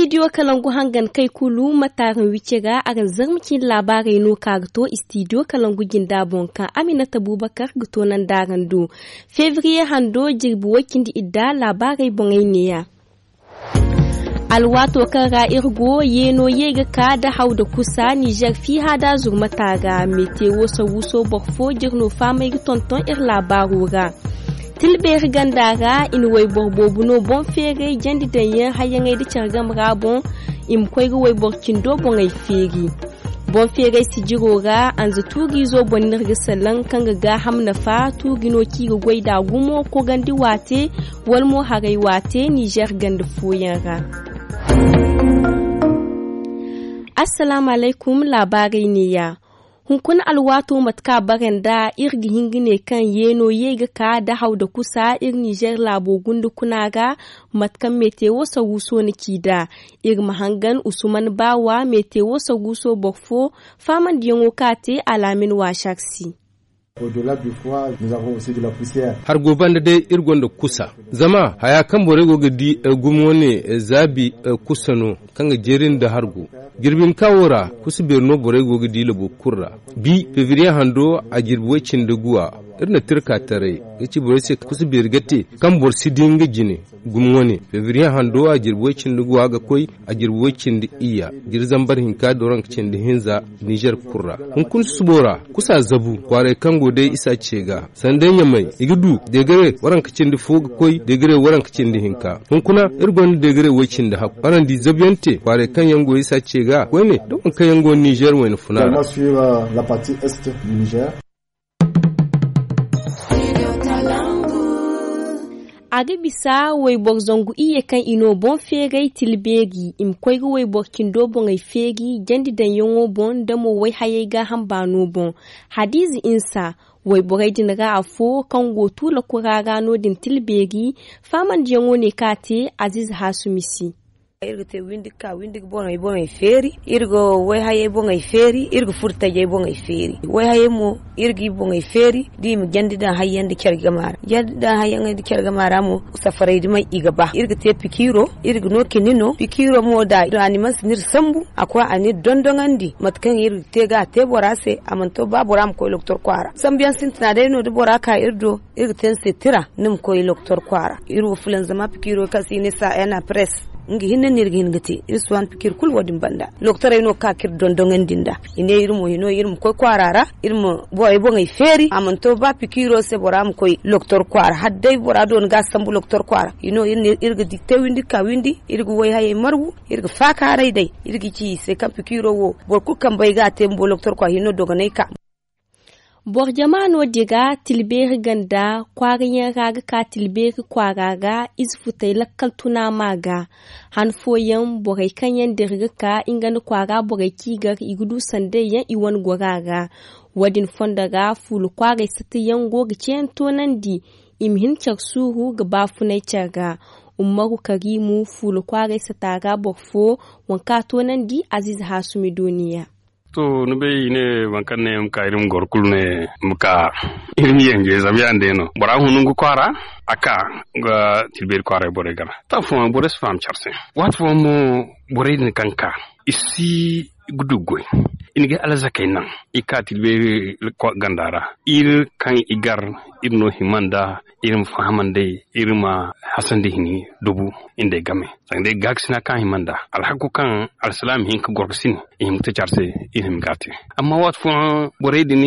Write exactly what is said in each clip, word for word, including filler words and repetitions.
Istidiyo kalangu hangan kay kulu ma taaraŋ wice ga araŋ zarma cindi laabaarey no ka ga to istidiyo kalangu jinda boŋ kaŋ aminata bubakar ga to nanda araŋ do. Febriye hando jirbi way cindi idda laabaarey boŋey neeya. Alwaato kaŋ ra iri go yeeno ye ga ka da haw da kusa nizer fiiha da zurmata ga metewo sawuso boro fo jiri no faamay ga tonton iri laabaaro ra. Tilbeeri ganda ra i na wayboro boobo no boŋ feeray jandi daŋ yaŋ hayyaŋey nda care game ra boŋ. I ma koy ga wayboro cindo boŋey feeri. Boŋ feeray sijiro ra anza tuuriizo boŋ no iri ga salaŋ kaŋ ga gaaham nafa tuuri no kaŋ i ga goy nd'a gumo kogandi waate wala mo haray waate nizer ganda fooyaŋ ra. Assalaamu alaykum laabaarey neeya. Hunkuna alwaato mate kaŋ a bare nd'a iri ga hin ga ne kaŋ yeeno ye ga ka da haw da kusa iri nizer laabo gunda kuna ra. Mate kaŋ metewo sawuso na ci nd'a iri ma hangan usman baawa metewo sawuso boro fo faamandiyaŋo kaŋ a te alaamin waasar se. Hargo banda day iri gonda kusa zama haya kaŋ borey go ga di gumo wane zaabi kusa no kaŋ ga jeeri nda hargo. Jirbi hinka wo ra kusa beeri no borey go ga di labo kulu ra. Bi febriye hando a jirbi way cindi guwa iri na tirka taray ga ci borey se kusa beeri ga te kaŋ boro si di nga jine. Gumo wane febriye hando a jirbi way cindi guwa ga koy a jirbi way cindi iyya jiri zambar hinka da waranka cindi hinza. Nizer kulu ra hunkuna susubo ra kusa zabu kwaaray kaŋ go day isa ce ga sanda ɲamay i ga du degare waranka cindi fo ga koy degare waranka cindi hinka. Hunkuna iri gonda degare way cindi hakku araŋ di zabu yaŋ te kwaaray kaŋ yaŋ go isa ce ga koyne da waŋ kaŋ yaŋ go nizer wayna funa ra. A ga bisa wayboro zangu iyye kaŋ i no boŋ feeray tilbeeri i ma koy ga wayboro cindo boŋey feeri jandi daŋyaŋo boŋ nda mo wayhayey gaaham baano boŋ. Hadiize insa wayborey din ra afo kaŋ go tuula kura ra no- din tilbeeri faamandiyaŋo ne kaŋ a te aziize haasumi se. Iri ga te windi ga ka windi ga boŋey boŋey feeri iri ga wayhayey boŋey feeri iri ga furo tajey boŋey feeri wayhayey mo iri ga i boŋey feeri da i ma jandi daŋ hayyaŋ nda care game ra jandi daŋ hayyaŋey nda care game ra mo. Safarey dumey i ga ba iri ga te pikiiro iri ga no kini no pikiiro mo da a ni mansi ni iri sambu a koy a ni iri dondoŋandi mate kaŋ iri ga te ga a te bora se a mana to ba bora ma koy loktor kwaara sambu yaŋ sintina day no da bora ka iri do. Iri ga te ni se tira ni ma koy loktor kwaara iri wo fulanzama pikiiro kaŋ se i ne sa ena pres. Nga hinne no iri ga hin ga te iri si waani pikiiri kulu wo- din banda loktorey no ga ka ka iri dondoŋandi nd'a i ne iri mo hino iri ma koy kwaara ra iri ma borey boŋey feeri a mana to ba pikiiro se bora ma koy loktor kwaara hala day bora do ni ga a sambu loktor kwaara hino iri ga di te windi ga ka windi iri ga wayhayey margu iri ga faakaaray day iri ga ci i se kaŋ pikiiro wo boro kulu kambe ay ga a te bumbo loktor kwaara hino dogonay ka. Boro jama no- din ra tilbeeri ganda kwaara yaŋ ra ga ka tilbeeri kwaara ra ize futey lakkal tuna ma ga. Han fooyaŋ borey kaŋ yaŋ dira ga ka nga nda kwaara borey kaŋ i gar i ga du sanday yaŋ i wane gora ra. Wo- din fondo ra fuula kwaaray sata yaŋ go ga ceeyaŋ toonandi i ma hin care suuru ga baafunay care ra. Ummaru kariimu fuula kwaaray sata ra boro fo waŋ kaŋ a toonandi aziize haasumi dooniya. To ni bay i ne boro kaŋ ne ma ka iri ma goro kulu ne ma ka iri ma yanje zama ya- din day no bora hunu nga kwaara a ka nga tilbeeri kwaaray borey gana. To afooyaŋ borey si faham care se waati fooyaŋ mo borey din kaŋ ka i si ga du goy i na ga alzakey naŋ i ka tilbeeri ganda ra iri kaŋ i gar iri no hima nda iri ma fahamandi iri ma hasandi hini dubu. Nda ay game sanga day gaakasina kaŋ a hima nda alhakku kaŋ alsilaama hin ga goro ga sine i hima ga te care se. Iri hima ga a te amma waati fooyaŋ borey din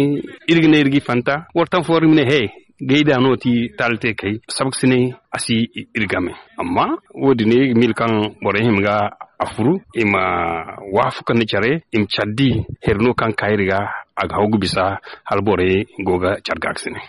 iri ga ne iri ga i fanta wala taŋ fooyaŋ iri ma ne he gay da no ti taali te kay sabakasine a si iri game. Amma wo- din iri ga miila kaŋ borey hima ga a furu i ma waafaku nda care i ma care di here no kaŋ ga ka iri ga a ga haw ga bisa hala borey go ga care gaakasine.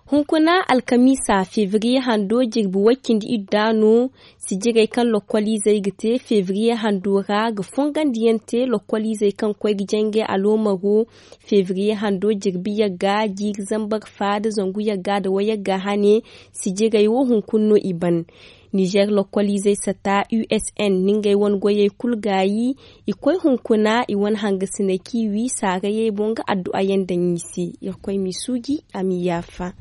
Hunkuna alkamiisa febriye hando jirbi way cindi idda no sijirey kaŋ lokkoliizey ga te febriye hando ra ga fongandi yaŋ te lokkoliizey kaŋ ga koy ga jangay aloomaro. Febriye hando jirbi yagga jiiri zambar fa nda zangu yagga nda wayagga hane. Sijirey wo hunkuna no i ban. Nizer lokkoliizey sata usn na ngey wane goyey kulu gaayi. I koy hunkuna i wane hangasiney kaŋ i wi saarayey boŋ ga addu'a yaŋ daŋ i se. Irkoy m'i suuji a m'i yaafa.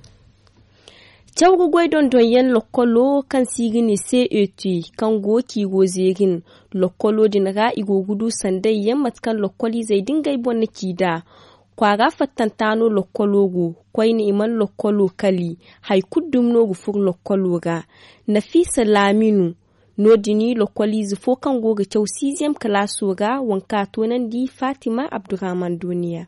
Caw ga goy dondonyaŋ lokkolo kaŋ se i ga ne c e t, kaŋ go ciiro zeerin lokkolo din ra, i go ga du sandayyaŋ mate kaŋ lokkoliizey da ngey boŋ na ci nd'a. Kwaara fattanta no lokkolo go. Koyne i mana lokkolo kali. Hari kulu dumi no ga furo lokkolo ra. Nafiisa laaminu. No- din lokkoliize fo kaŋ go ga caw siiziyam kalaaso ra, waŋ kaŋ a toonandi faatima abdurrahman dooniya.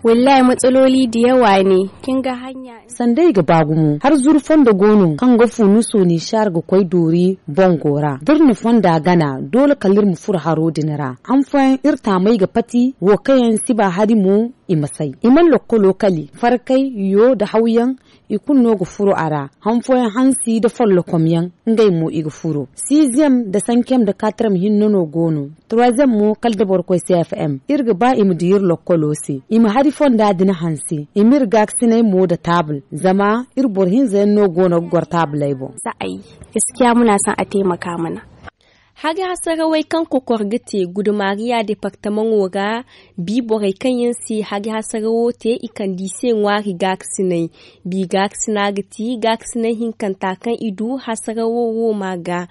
Wallahi matsaloli da yawa ne. Kin ga hanya. Sanda i ga ba gumo har zuru fondo go no kaŋ ga fu ni sooni saar ga koy doori bongo ra da iri na fonda gana doole kala iri ma furo haro din ra. Han fooyaŋ iri taamey ga pati wo kaŋ yaŋ si ba hari mo. I ma say i mana lokkolo kali farkay yo nda hawyaŋ. I kulu no ga furo a ra. Han fooyaŋ hansi nda follokom yaŋ ngey mo i ga furo siiziyam nda sankiyam nda katriyam hinne no go no. Turaziyam mo kala da boro koy c f m iri ga ba i ma di iri lokkolo se i ma hari fonda din hanse i ma iri gaakasinay mo nda taabul. Zama iri boro hinza yaŋ no go no ga goro taabuley boŋ. Za ay gaskiya muna son a taimaka mana. Hari hasarawey kaŋ kokor ga te gudumariya departamaŋo ra. Bi borey kaŋ yaŋ se hari hasarawo te i kande i se ŋwaari gaakasinay. Bi gaakasina ga ti gaakasinay hinkanta kaŋ i du hasarawo wo ma ga.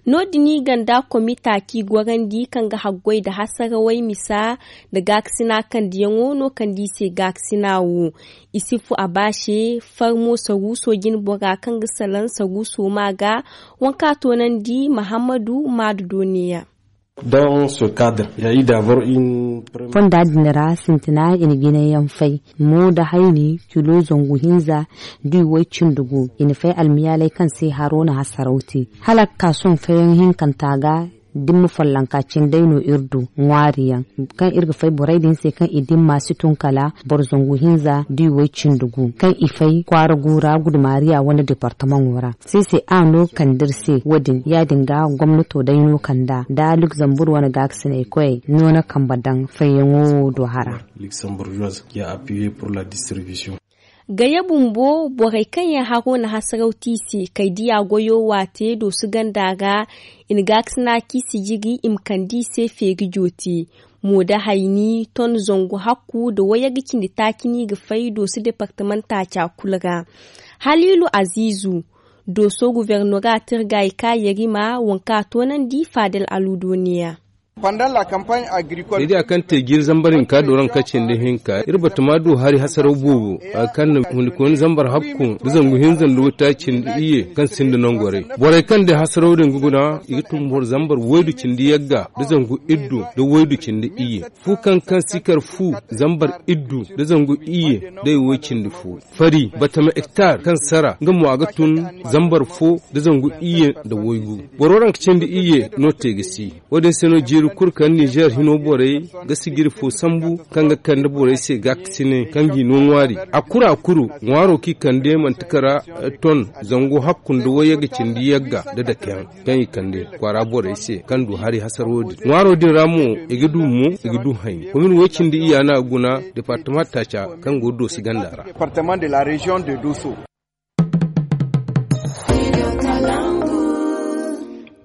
No- din i ganda komita kaŋ i gorandi kaŋ ga haggoy nda hasarawey misa nda gaakasina kandiyaŋo no kande i se gaakasina wo. I si fu a ba se farmo saruuso jinbora kaŋ ga salaŋ saruuso ma ga. Waŋ kaŋ a toonandi mahammadu maadu dooniya. Fonda din ra sintina i na jinay yaŋ fay. Mo nda hayni kilo zangu hinza da i way cindi gu i na fay almiyaalay kaŋ se haro na hasaraw te hala ga ka sohõ fayyaŋ hinkanta ga. Dimma follonka cindey no iri du ŋwaari yaŋ kaŋ iri ga fay borey din se kaŋ i dimma si tun kala boro zangu hinza da i way cindi gu kaŋ i fay kwaara gu ra gudumaariya wane departamaŋo ra. Se se a no kande iri se wo- din ya- din ga gomnato day no kanda nda lugzambur wane gaakasinay koyey no na kambe daŋ fayyaŋo wo do hara. Gaya bumbo borey kaŋ yaŋ haro na hasaraw te i se kay diya goyo waate doosu ganda ra. I na gaakasina kaŋ i si jiri i ma kande i se feeri joote. Mo da hayni ton zangu hakku nda wayyaŋ ga cindi taaci no i ga fay doosu departamaŋ taaca kulu ra. Haliilu aziizu dooso guvernoratir ga i ka yarima waŋ kaŋ a toonandi faadal aluudo neeya. Day da a kaŋ te jiiri zambar hinka dooraŋ ka cindi hinka iri batama du hari hasaraw boobo a ga kaŋ na hundikooni zambar hakku nda zangu hinza nda waytaaci nda iyye kaŋ sinda nangorey borey kaŋ day hasaraw din ga guna i ga tun boro zambar waydu cindi yagga nda zangu iddu nda waydu cindi iyye. Fu kaŋ kaŋ si kar fu zambar iddu nda zangu iyye day way cindi fo. Fari batama hektar kaŋ sara nga mo a ga tun zambar fo nda zangu iyye nda waygu. Boro ranka cindi iyye no te ga si. Wo- din se no jiiri kulu kaŋ nizer hino borey ga sijiri fo sambu kaŋ ga kande borey se gaakasinay kaŋ g'i no ŋwaari. A kuru a kuru ŋwaaro kaŋ i kande manti kara ton zangu hakku nda wayye ga cindi yagga nda dakeyaŋ kaŋ i kande kwaara borey se kaŋ du hari hasaro din ŋwaaro din ra mo i ga du mo i ga du hayni komin way cindi iyya no a ga guna departama taaca kaŋ go doosi ganda ra.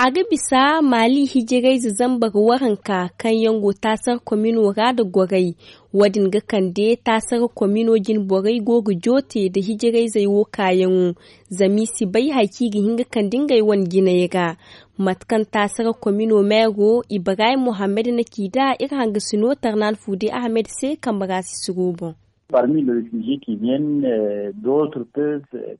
A ga bisa maali hijirayze zambar waranka kaŋ yaŋ go taasar komino ra nda goray. Wo- din ga kande taasar komino jinborey go ga joote nda hijirayzey wo kaayaŋo. Zama i si bay hari kaŋ i ga hin ga kande ngey wane jinay ra. Mate kaŋ taasar komino meero ibrahim mohammed na ci nd'a iri hangasino tarnaan fuude ahmed se kambe ra sisiro boŋ.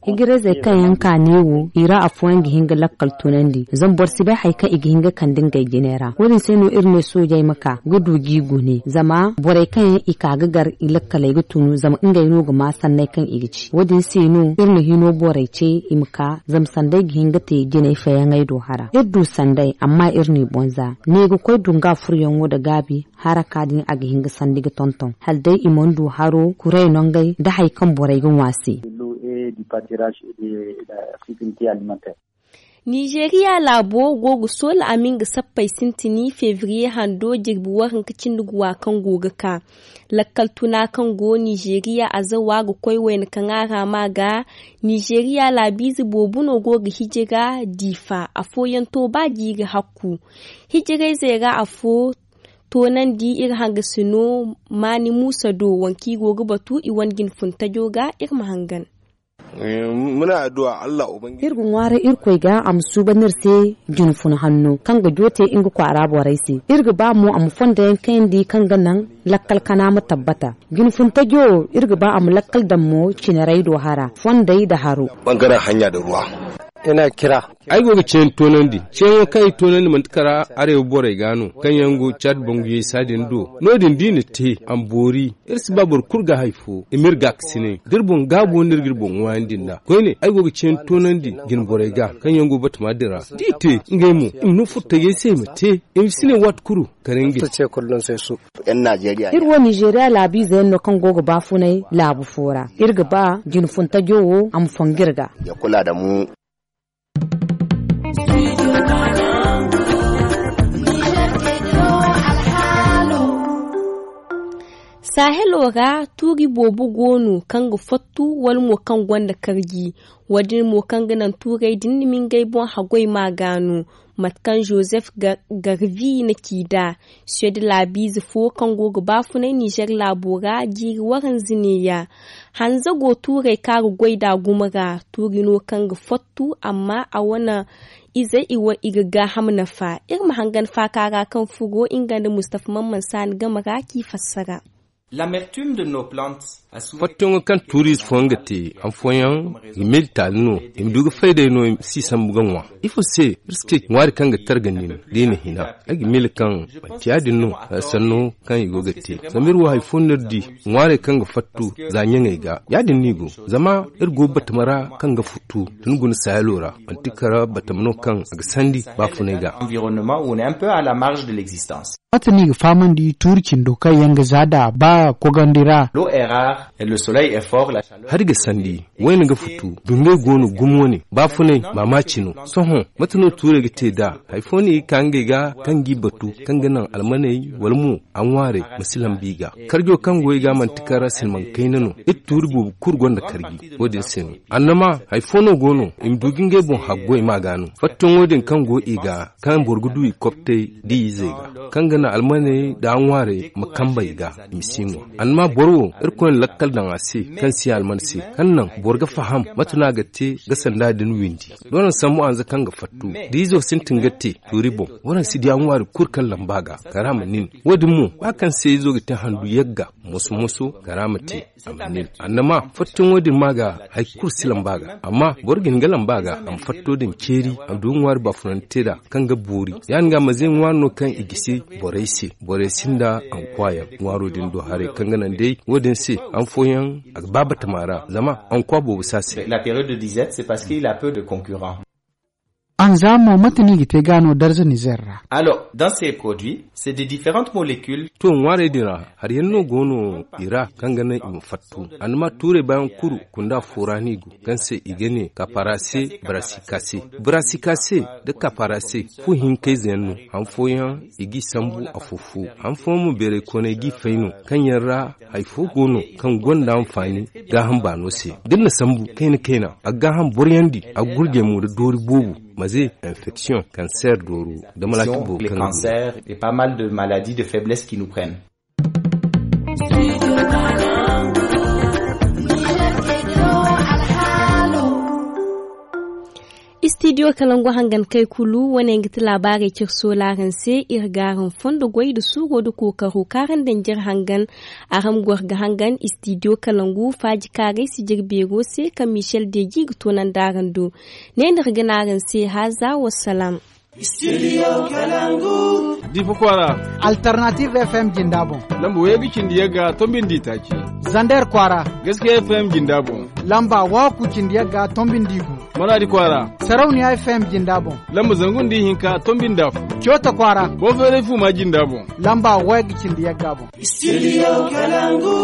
Hijirayzey kaŋ yaŋ ka neewo i ra afooyaŋ ga hin ga lakkal tunandi zama boro si bay hari kaŋ i ga hin ga kande ngey jine ra wo- din se no iri ne soojey ma ka ga du g'i gune zama borey kaŋ yaŋ i ka ga gar i lakkaley ga tunu zama ngey no ga ma sanney kaŋ i ga ci wo- din se no iri na hino borey ce i ma ka zama sanday ga hin ga te jinay fayaŋey do hara iri du sanday amma iri n'i boŋ za ne ga koy dunga furyaŋo nda gaabi. Haraka din a ga hin ga sandi ga tonton hala day i mana du haro kuray nongey nda hari kaŋ borey ga ŋwa se. Nizeeriya laabo go ga soola a ma nga sappey sintini febriye hando jirbi waranka cindi guwa kaŋ go ga ka. Lakkal tuna kaŋ go nizeeriya azawa ga koy wayna kaŋ a ra ma ga. Nizeeriya laabiize boobo no go ga hijira diifa afooyaŋ to ba jiiri hakku. Hijirayzey ra afo toonandi iri hangasino maani muusa do waŋ kaŋ i go ga batu i wane jine fun tajo ga iri ma hangan. Muna addu'a Allah ubangiji. Iri ga ŋwaaray irkoy ga a ma suuban iri se jina fun hanno kaŋ ga joote nga kwaara borey se. Iri ga ba mo a ma fondo yaŋ kayandi kaŋ ga naŋ lakkal kana ma tabbata. Jina fun tajo wo iri ga ba a ma lakkal daŋ mo cinarey do hara fondey nda haro. Bangaren hanya da ruwa. Ay go ga ceeyaŋ toonandi ceeyaŋo kaŋ i toonandi manti kara arewa borey ga no kaŋ yaŋ go caadi banguyey saadin do. No- din da i na te a ma boori. Iri si ba boro kulu ga hari fo i ma iri gaakasinay da iri boŋ gaabo no iri ga iri boŋ ŋwaayandi nd'a koyne ay go ga ceeyaŋ toonandi jine borey ga kaŋ yaŋ go batama din ra da i te ngey mo i ma no furtajey se i ma te. I ma si ne waati kulu kala ngey. Iri wo nizeeriya laabiize yaŋ no kaŋ go ga baafunay laabu fo ra. Iri ga ba jine funtajo wo a ma fongu iri ga. Saahelo ra tuuri boobo go no kaŋ ga fattu wala mo kaŋ gonda karji. Wo- din mo kaŋ ga naŋ tuurey din na mingay boŋ haggoy ma ga no. Mate kaŋ joseph garvi na ci nd'a suwed laabiize fo kaŋ go ga baafunay nizer laabo ra jiiri waranza neeya. Hanza go tuurey kaŋ a ga goy nd'a gumo ra tuuri no kaŋ ga fattu amma a wane izey i ga gaaham nafa. Iri ma hangan faaka ra kaŋ furo nga nda mustafa mamman saani game ra k'i fassara. Fattuyaŋo kaŋ tuuriize fooyaŋ ga te han fooyaŋ ga meeli taali no. I ma du ga fay day no i ma si sambu ga ŋwa. Ifo se iri si te ŋwaari kaŋ ga targa nin da i na hina? Ay ga meeli kaŋ manti ya- din no sanno kaŋ i go ga te zama iri wo hari fo no iri di ŋwaarey kaŋ ga fattu za ɲaŋey ga. Ya- din no i go zama iri go batama ra kaŋ ga futtu tun guna saayalo ra manti kala batama no kaŋ a ga sandi baafunay ga. Mate no i ga fahamandi tuuri cindo kaŋ yaŋ ga za nd'a ba kogandi ra? Hari ga sandi wayne ga futu. Dungey go no gumo wane baafunay maamaaci no. Sohõ mate no tuurey ga te nd'a? Hari fo no i ga ka ngey ga kaŋ g'i batu kaŋ ga naŋ almaney wala mo a ŋwaarey ma si lamba i ga. Karjo kaŋ go i ga manti kala silmaŋ kayna no. Iri tuuri boobo kulu gonda karji wo- din se no. Annama hari fo no go no i ma du ga ngey boŋ haggoy ma ga no fattuyaŋo din kaŋ go i ga kaŋ boro ga du i koptey da i izey ga kaŋ ga naŋ almaney nda a ŋwaarey ma kamba i ga. I ma si ŋwa annama boro wo irkoy na lakkal daŋ a se kaŋ si alman se kaŋ naŋ boro ga faham mate no a ga te ga sanda din windi. Doona sambu hanza kaŋ ga fattu da izo sintin ga te tuuri boŋ. Waraŋ si di a ŋwaari kulu kaŋ lamba ga kara ma nin. Wo- din mo ba kaŋ se izo ga te handu yagga moso-moso kara ma te. Amma fattuyaŋo din ma ga hari kulu si lamba ga amma boro ga hin ga lamba ga a ma fatto din ceeri a ma du ŋwaari baafunante da kaŋ ga boori. Ya- din ga manze ŋwaari no kaŋ i gisi borey se. Borey sinda ankwa yaŋ ŋwaaro din do haray kaŋ ga naŋ day wo- din se han fooyaŋ a ga ba batama ra zama ankwa boobo si a se. La période de disette c'est parce qu'il a peu de concurrents. Anza mo mate no i ga te ga no darza nizer ra? Alors dans ces produits c'est des différentes molécules. To ŋwaarey din ra hari yaŋ no go no i ra kaŋ ga naŋ i ma fattu. Annama tuurey baayaŋ kulu kunda fo ra no i go kaŋ se i ga ne kaparase brasikase. Brasikase nda kaparase fu hinkayze yaŋ no. Han fooyaŋ i g'i sambu afo-fo han fooyaŋ mo beeray koonay g'i fay no kaŋ yaŋ ra hari fo go no kaŋ gonda anfaani gaaham baano se. Da iri na sambu kayna-kayna a ga gaaham boroyandi a ga gurjey mo nda doori boobo maze infection kanseer dooro nda malaati boobo kaŋ ga du. Istidiyo kalangu hangan kay kulu wane ga ti laabaarey cire soolaaraŋ se. Iri ga araŋ fondo goy nda suuro nda kookaro kaŋ araŋ daŋ jire hangan. Araŋ goro ga hangan istidiyo kalangu faaji kaaray si jire beero se kaŋ michel deji ga toonandi araŋ do. Ne no iri ga ne araŋ se haaza wassalaam. Difa kwaara. Alternative fm jinda boŋ. Lamba way ga cindi yagga tombindi taaci. Zander kwaara. Gaskiya fm jinda boŋ. Lamba waaku cindi yagga tombindi gu. Maraadi kwaara. Sarauniya fm jinda boŋ. Lamba zangu nda ihinka tombinda fu. Coota kwaara. Konferey fu ma jinda boŋ. Lamba way ga cindi yagga boŋ. Studio Kalangu.